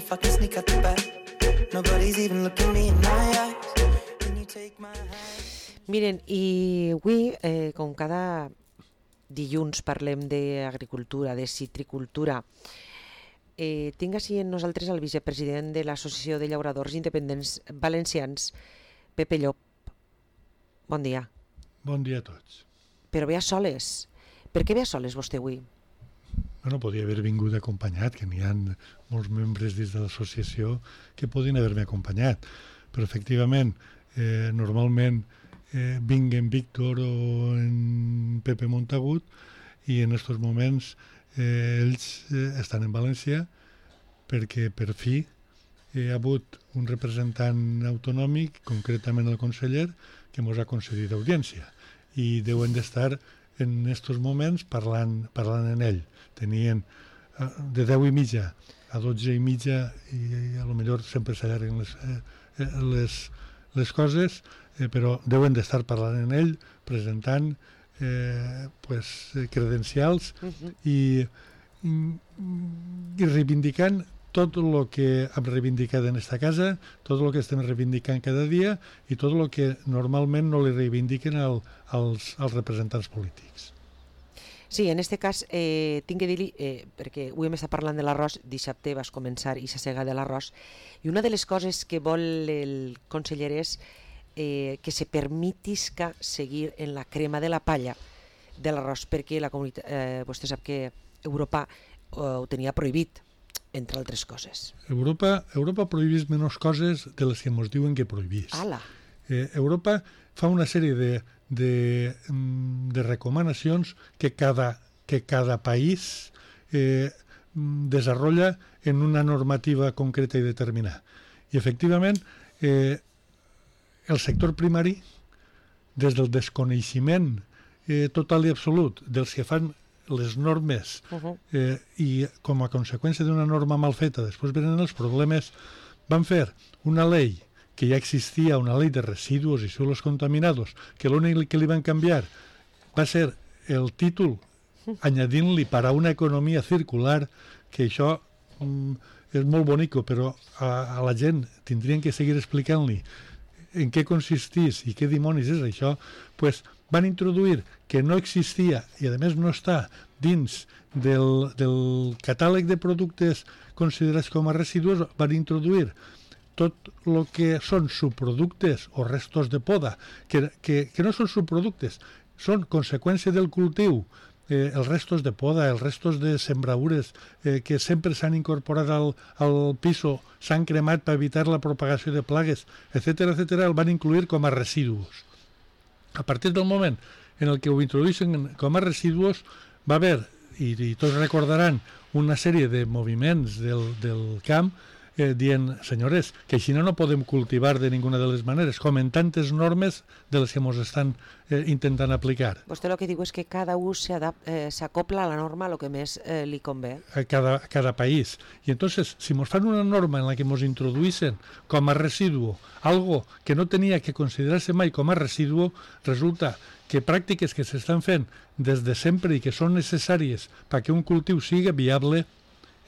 if I can sneak out the back. Nobody's even looking me in my eyes. Can you take my hand? Miren, i avui, com cada dilluns parlem d'agricultura, de citricultura, tinc així amb nosaltres el vicepresident de l'Associació de Llauradors Independents Valencians, Pepe Llop. Bon dia. Bon dia a tots. Però ve a soles. Per què ve a soles vostè avui? Bueno, podria haver vingut acompanyat, que n'hi ha molts membres dins de l'associació que podien haver-me acompanyat. Però efectivament, normalment vinc en Víctor o en Pepe Montagut i en aquests moments ells estan en València perquè per fi hi ha hagut un representant autonòmic, concretament el conseller, que ens ha concedit audiència i deuen d'estar en aquests moments parlant en ell. Tenien de 10:30 a 12:30 i a lo millor sempre s'allarguen les coses, però deuen d'estar parlant en ell, presentant credencials i reivindicant tot el que hem reivindicat en esta casa, tot el que estem reivindicant cada dia i tot el que normalment no li reivindiquen als representants polítics. Sí, en aquest cas tinc que dir-li, perquè avui hem estat parlant de l'arròs, dissabte vas començar i s'assega de l'arròs, i una de les coses que vol el conseller és que se permetisca seguir en la crema de la palla de l'arròs, perquè la comunitat, vostè sap que Europa ho tenia prohibit, entre altres coses. Europa prohibís menys coses de les que ens diuen que prohibís. Europa fa una sèrie de recomanacions que cada país desenvolupa en una normativa concreta i determinada. I efectivament, el sector primari, des del desconeixement total i absolut dels que fan les normes i com a conseqüència d'una norma mal feta, després venen els problemes, van fer una llei que ja existia, una llei de residus i suelos contaminados, que l'únic que li van canviar va ser el títol, añadint-li para una economia circular, que això és molt bonico, però a la gent tindrien que seguir explicant-li en què consistís i què dimonis és això, doncs van introduir que no existia i a més no està dins del catàleg de productes considerats com a residus, van introduir tot el que són subproductes o restos de poda, que no són subproductes, són conseqüència del cultiu, els restos de poda, els restos de sembradures que sempre s'han incorporat al piso, s'han cremat per evitar la propagació de plagues, etc., el van incluir com a residus. A partir del moment en el que ho introdueixen com a residus, va haver, i tots recordaran, una sèrie de moviments del camp dient, senyores, que així no podem cultivar de ninguna de les maneres, com en tantes normes de les que ens estan intentant aplicar. Vostè el que diu és que cada un s'acopla a la norma el que més li convé. A cada país. I entonces, si ens fan una norma en la que ens introduïssin com a residu algo que no tenia que considerar-se mai com a residu, resulta que pràctiques que s'estan fent des de sempre i que són necessàries perquè un cultiu sigui viable,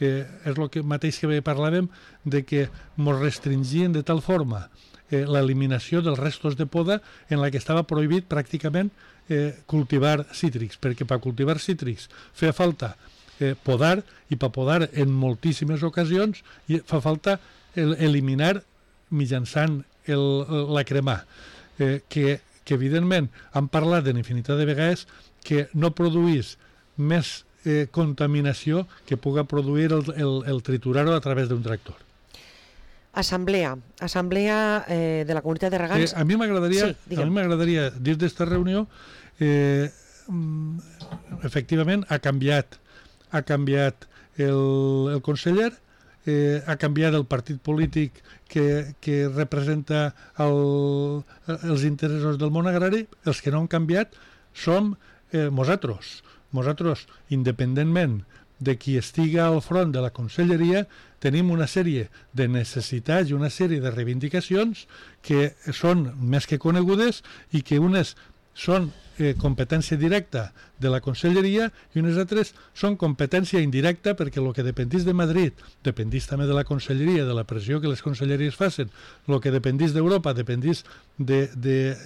és el mateix que parlàvem de que ens restringien de tal forma l'eliminació dels restos de poda en la que estava prohibit pràcticament cultivar cítrics, perquè per cultivar cítrics feia falta podar, i per podar en moltíssimes ocasions fa falta eliminar mitjançant la cremar, que evidentment han parlat en infinitat de vegades que no produís més contaminació que puga produir el triturar-ho a través d'un tractor. Assemblea de la comunitat de regants. A mi m'agradaria dir d'esta reunió, efectivament ha canviat el conseller, ha canviat el partit polític que representa els interessos del món agrari. Els que no han canviat som nosaltres. Nosaltres, independentment de qui estiga al front de la conselleria, tenim una sèrie de necessitats i una sèrie de reivindicacions que són més que conegudes i que unes són competència directa de la Conselleria i unes altres són competència indirecta perquè el que dependís de Madrid dependís també de la Conselleria, de la pressió que les conselleries facin, el que dependís d'Europa dependís de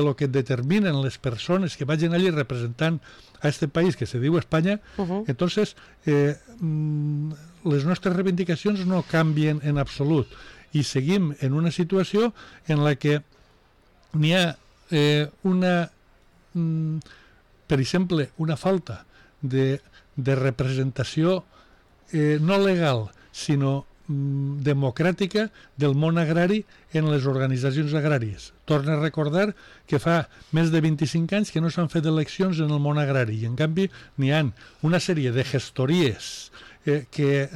lo que determinen les persones que vagin allí representant a este país que se diu Espanya. Entonces les nostres reivindicacions no canvien en absolut i seguim en una situació en la que n'hi ha per exemple, una falta de representació no legal, sinó democràtica del món agrari en les organitzacions agràries. Torna a recordar que fa més de 25 anys que no s'han fet eleccions en el món agrari i, en canvi, n'hi ha una sèrie de gestories que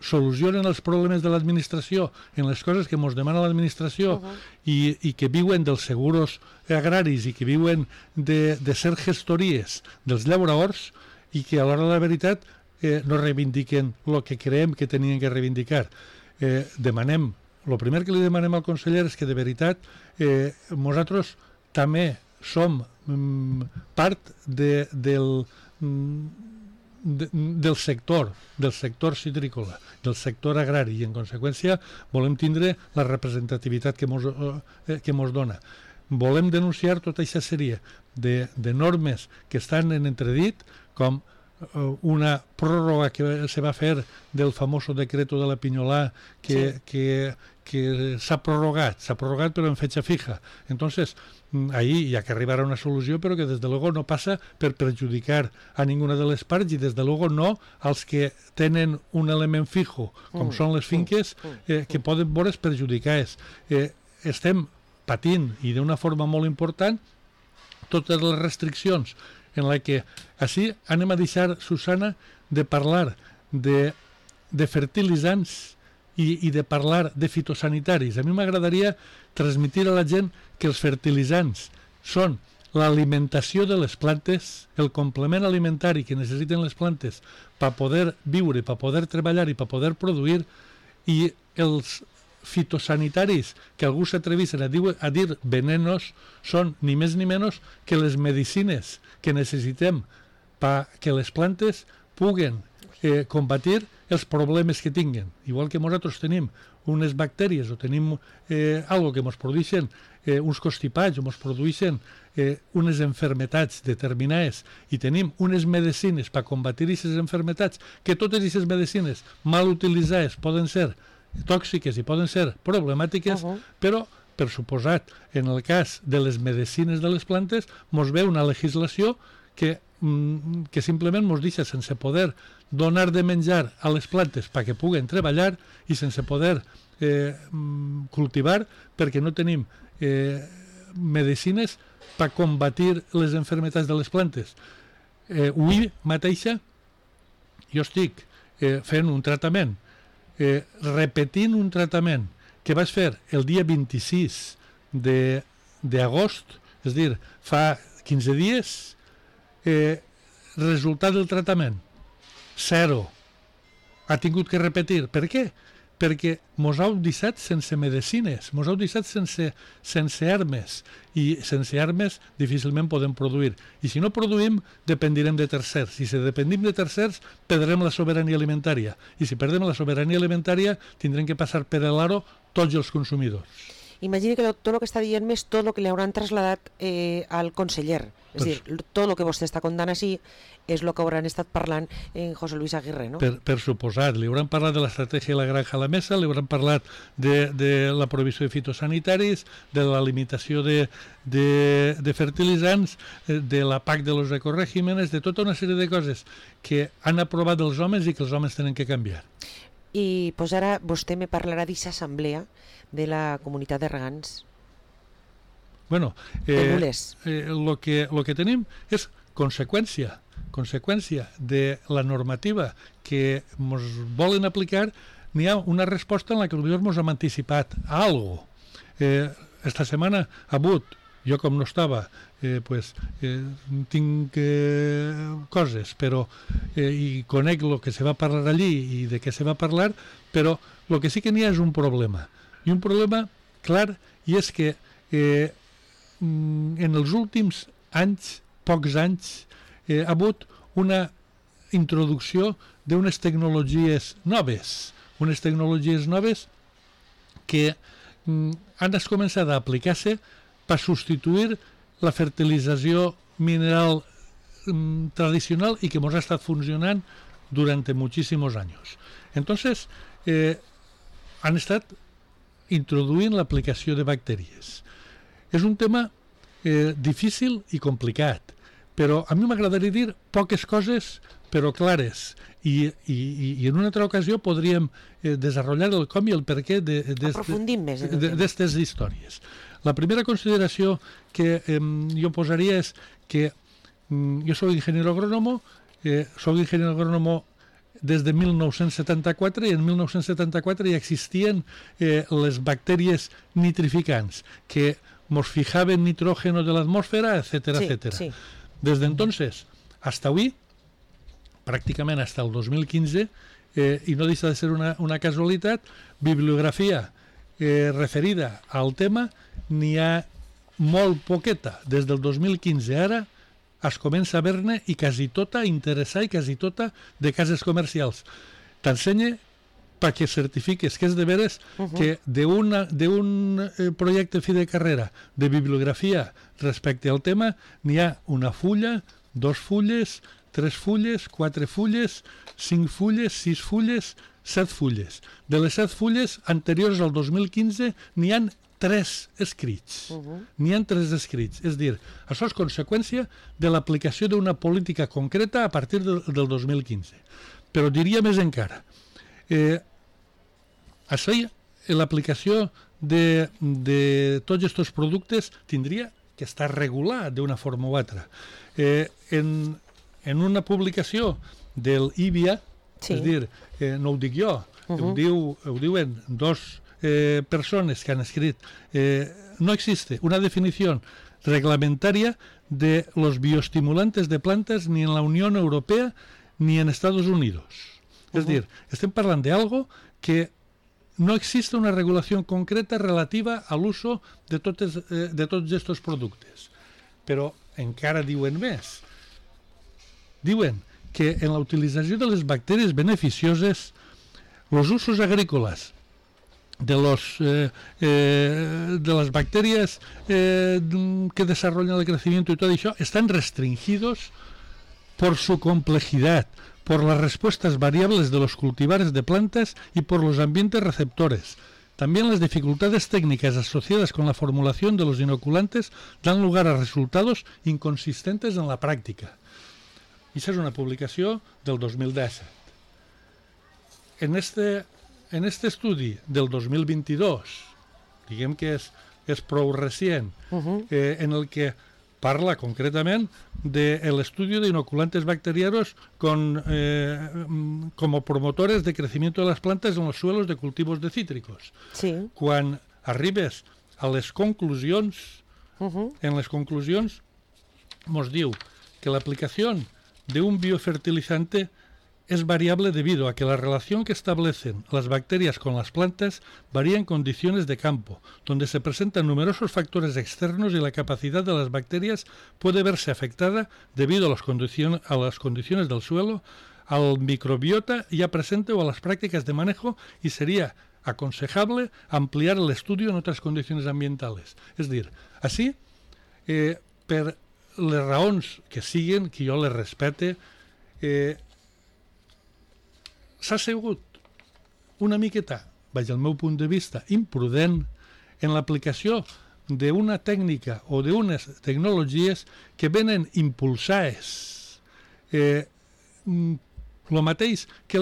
solucionen els problemes de l'administració en les coses que ens demana l'administració i que viuen dels seguros agraris i que viuen de ser gestories dels llauradors i que a l'hora de la veritat no reivindiquen el que creiem que tenien que reivindicar. El primer que li demanem al conseller és que de veritat nosaltres també som part del sector citrícola, del sector agrari i en conseqüència volem tindre la representativitat que mos dona. Volem denunciar tota aquesta sèrie de normes que estan en entredit, com una pròrroga que se va fer del famoso decreto de la Pinyolà que s'ha prorrogat però en fecha fija. Entonces, ahí hi ha que arribar a una solució, però que des de luego no passa per perjudicar a ninguna de les parts i des de luego no als que tenen un element fijo, com són les finques, que poden veure's perjudicades. Estem patint, i d'una forma molt important, totes les restriccions en la que així anem a deixar, Susana, de parlar de fertilitzants i de parlar de fitosanitaris. A mi m'agradaria transmetre a la gent que els fertilitzants són l'alimentació de les plantes, el complement alimentari que necessiten les plantes per poder viure, per poder treballar i per poder produir, i els fitosanitaris que algú s'atrevís a dir venenos són ni més ni menys que les medicines que necessitem perquè les plantes puguen combatir els problemes que tinguen. Igual que nosaltres tenim unes bactèries o tenim algo que ens produeixen uns constipats o ens produeixen unes enfermetats determinades i tenim unes medicines per combatir aquestes enfermetats, que totes aquestes medicines mal utilitzades poden ser tòxiques i poden ser problemàtiques, però, per suposat, en el cas de les medicines de les plantes, ens ve una legislació que simplement ens deixa sense poder donar de menjar a les plantes perquè puguen treballar i sense poder cultivar perquè no tenim medicines per combatir les enfermetats de les plantes. Avui mateixa jo estic fent un tractament, repetint un tractament que vaig fer el dia 26 d'agost, és a dir, fa 15 dies, resultat del tractament, 0. Ha tingut que repetir. Per què? Perquè mos heu deixat sense medicines, mos heu deixat sense armes, i sense armes difícilment podem produir. I si no produïm, dependirem de tercers. I si dependim de tercers, perdrem la sobirania alimentària. I si perdem la sobirania alimentària, tindrem que passar per l'aro tots els consumidors. Imagini que tot el que està dient més tot el que li hauran traslladat al conseller. És a dir, tot el que vostè està contant així és el que hauran estat parlant en José Luis Aguirre, no? Per suposat. Li hauran parlat de l'estratègia de la granja a la mesa, li hauran parlat de la prohibició de fitosanitaris, de la limitació de fertilitzants, de la PAC de los ecoregímenes, de tota una sèrie de coses que han aprovat els homes i que els homes tenen que canviar. I pues ara vostè me parlarà d'aquesta assemblea de la comunitat de regants. Bueno, lo que tenim és conseqüència de la normativa que ens volen aplicar. N'hi ha una resposta en la que potser ens hem anticipat a alguna cosa. Esta setmana ha hagut, jo com no estava, tinc coses, però i conec el que se va parlar allí i de què se va parlar, però el que sí que n'hi ha és un problema. I un problema clar, i és que en els últims pocs anys, ha hagut una introducció d'unes tecnologies noves, que han començat a aplicar-se per substituir la fertilització mineral tradicional y que hemos estado funcionando durante muchísimos años. Entonces, han estat introduint l'aplicació de bacteris. És un tema difícil i complicat, però a mi m'agradaria dir poques coses però clares, i en una altra ocasió podríem desenvolupar el com i el per què d'aquestes històries. La primera consideració que jo posaria és que jo soc ingeniero agrónomo, des de 1974, i en 1974 ja existien les bacteries nitrificants que nos fijaven nitrógeno de la atmósfera, etcétera, etcétera. Sí. Desde entonces hasta hoy, prácticamente hasta el 2015, y no deixa de ser una casualitat, bibliografia referida al tema n'hi ha molt poqueta. Des del 2015 ara es comença a veure i quasi tota interessar i quasi tota de cases comercials. T'ensenya perquè certifiques que és de veres que d'un projecte fi de carrera de bibliografia respecte al tema n'hi ha una fulla, 2 fulles, 3 fulles, 4 fulles, 5 fulles, 6 fulles, 7 fulles. De les 7 fulles anteriors al 2015 n'hi han 3 escrits. N'hi ha 3 escrits. És a dir, això és conseqüència de l'aplicació d'una política concreta a partir del 2015. Però diria més encara. L'aplicació de tots aquests productes tindria que estar regulat d'una forma o altra. En una publicació del IBIA, és a dir, no ho dic jo, ho diuen 2 personas que han escrito, no existe una definición reglamentaria de los bioestimulantes de plantas ni en la Unión Europea ni en Estados Unidos. Es decir, estem parlant d'algo que no existe una regulación concreta relativa al uso de tots estos productes. Però encara diuen més. Diuen que en la utilització de les bacteris beneficioses, los usos agrícolas de las bacterias que desarrollan el crecimiento y todo eso están restringidos por su complejidad, por las respuestas variables de los cultivares de plantas y por los ambientes receptores. También las dificultades técnicas asociadas con la formulación de los inoculantes dan lugar a resultados inconsistentes en la práctica. Esa es una publicació del 2017. En este estudi del 2022, diguem que és prou recient, en el que parla concretament del estudio de inoculantes bacterianos como promotores de crecimiento de las plantas en los suelos de cultivos de cítricos. Sí. Quan arribes a les conclusions, en les conclusions nos diu que la aplicación de un biofertilizante es variable debido a que la relación que establecen las bacterias con las plantas varía en condiciones de campo, donde se presentan numerosos factores externos y la capacidad de las bacterias puede verse afectada debido a las condiciones del suelo, al microbiota ya presente o a las prácticas de manejo, y sería aconsejable ampliar el estudio en otras condiciones ambientales. Es decir, així, per les raons que siguen, que jo les respecte, s'ha sigut una miqueta, vaig al meu punt de vista, imprudent en l'aplicació d'una tècnica o d'unes tecnologies que venen impulsades. El mateix que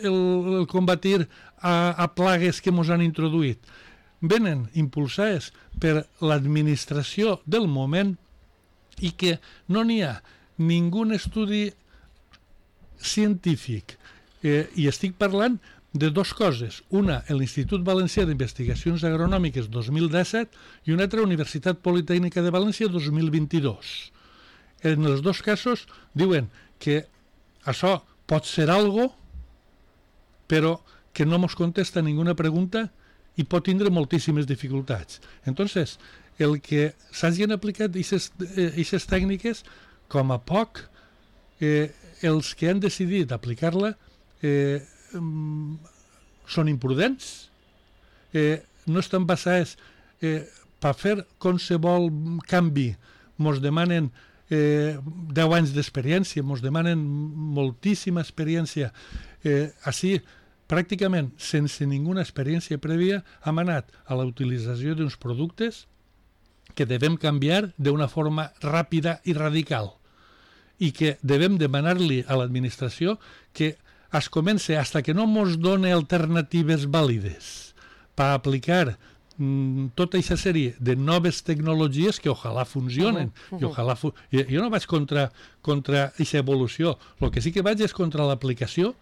el combatir a plagues que ens han introduït. Venen impulsades per l'administració del moment i que no n'hi ha ningú estudi científic. I estic parlant de 2 coses. Una, l'Institut Valencià d'Investigacions Agronòmiques 2017 i una altra, Universitat Politècnica de València 2022. En els 2 casos diuen que això pot ser algo, però que no ens contesta ninguna pregunta i pot tindre moltíssimes dificultats. Entonces, el que s'hagin aplicat aquestes tècniques, com a poc, els que han decidit aplicar-la són imprudents, no estan basats per fer qualsevol canvi, mos demanen 10 anys d'experiència, mos demanen moltíssima experiència. Així, pràcticament sense ninguna experiència prèvia, hem anat a la utilització d'uns productes que devem canviar d'una forma ràpida i radical i que devem demanar-li a l'administració que es comença, fins que no ens doni alternatives vàlides per aplicar tota aquesta sèrie de noves tecnologies que ojalà funcionen. Jo no vaig contra aquesta evolució, el que sí que vaig és contra l'aplicació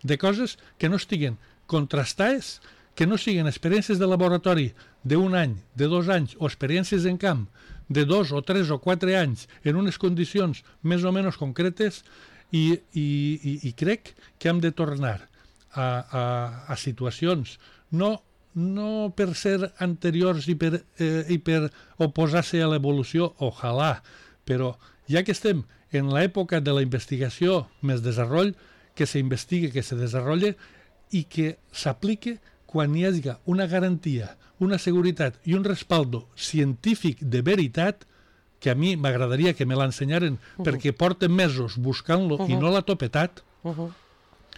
de coses que no estiguen contrastades, que no siguin experiències de laboratori d'un any, de 2 anys, o experiències en camp de 2 o 3 o 4 anys en unes condicions més o menys concretes, i crec que hem de tornar a situacions no per ser anteriors i per oposar-se a l'evolució, ojalà, però ja que estem en l'època de la investigació més desenvolupament, que s'investigue, que se desenvolupi i que s'aplique quan hi hagi una garantia, una seguretat i un respaldo científic de veritat, que a mi m'agradaria que me l'ensenyaren perquè porten mesos buscant-lo i no l'ha topetat.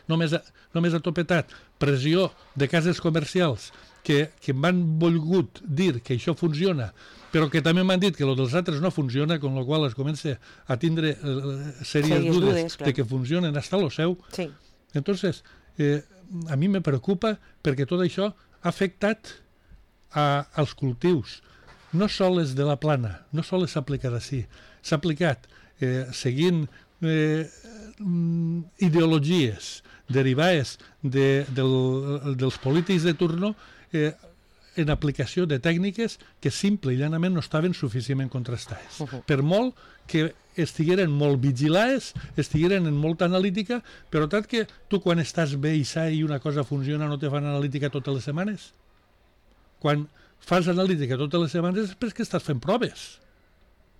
Només ha topetat pressió de cases comercials que m'han volgut dir que això funciona, però que també m'han dit que el dels altres no funciona, con la qual es comença a tindre sèries dudes de que funcionen hasta lo seu. Sí. Entonces, a mi me preocupa perquè tot això ha afectat als cultius, no sols de la plana, no sols s'ha aplicat així, s'ha aplicat seguint ideologies derivades dels polítics de turno en aplicació de tècniques que simple i llanament no estaven suficientment contrastades. Per molt que estigueren molt vigilades, estigueren en molta analítica, però tant que tu quan estàs bé i sa i una cosa funciona no te fan analítica totes les setmanes. Quan fas analítica totes les setmanes és perquè estàs fent proves,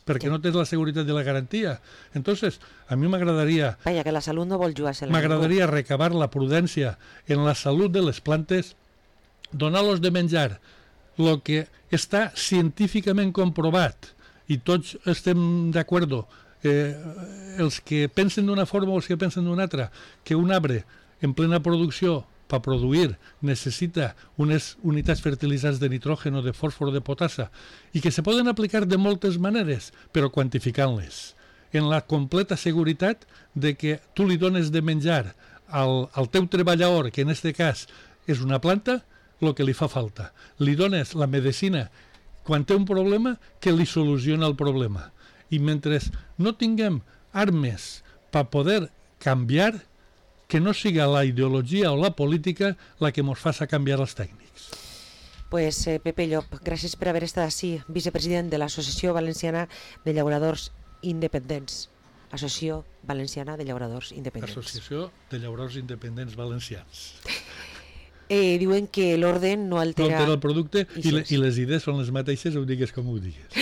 perquè no tens la seguretat i la garantia. Entonces, a mi m'agradaria... Vaja, que la salut no vol jugar-se. M'agradaria recabar la prudència en la salut de les plantes, donar-los de menjar el que està científicament comprovat, i tots estem d'acord, els que pensen d'una forma o els que pensen d'una altra, que un arbre en plena producció per produir necessita unes unitats fertilitzants de nitrogen o de fòsfor o de potassa i que se poden aplicar de moltes maneres, però quantificant-les en la completa seguretat de que tu li dones de menjar al teu treballador, que en aquest cas és una planta, el que li fa falta. Li dones la medicina quan té un problema que li soluciona el problema. I mentre no tinguem armes per poder canviar, que no siga la ideologia o la política la que ens faci canviar els tècnics. Pues Pepe Llop, gràcies per haver estat així, vicepresident de l'Associació Valenciana de Llauradors Independents. Associació Valenciana de Llauradors Independents. Associació de Llauradors Independents Valencians. Diuen que l'orden no altera... No altera el producte i les idees són les mateixes, ho digues com ho digues.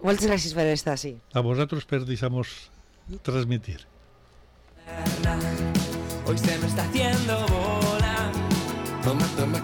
Moltes gràcies per estar així. A vosaltres per deixar-nos transmitir. Hoy se me está haciendo bola. Toma, toma,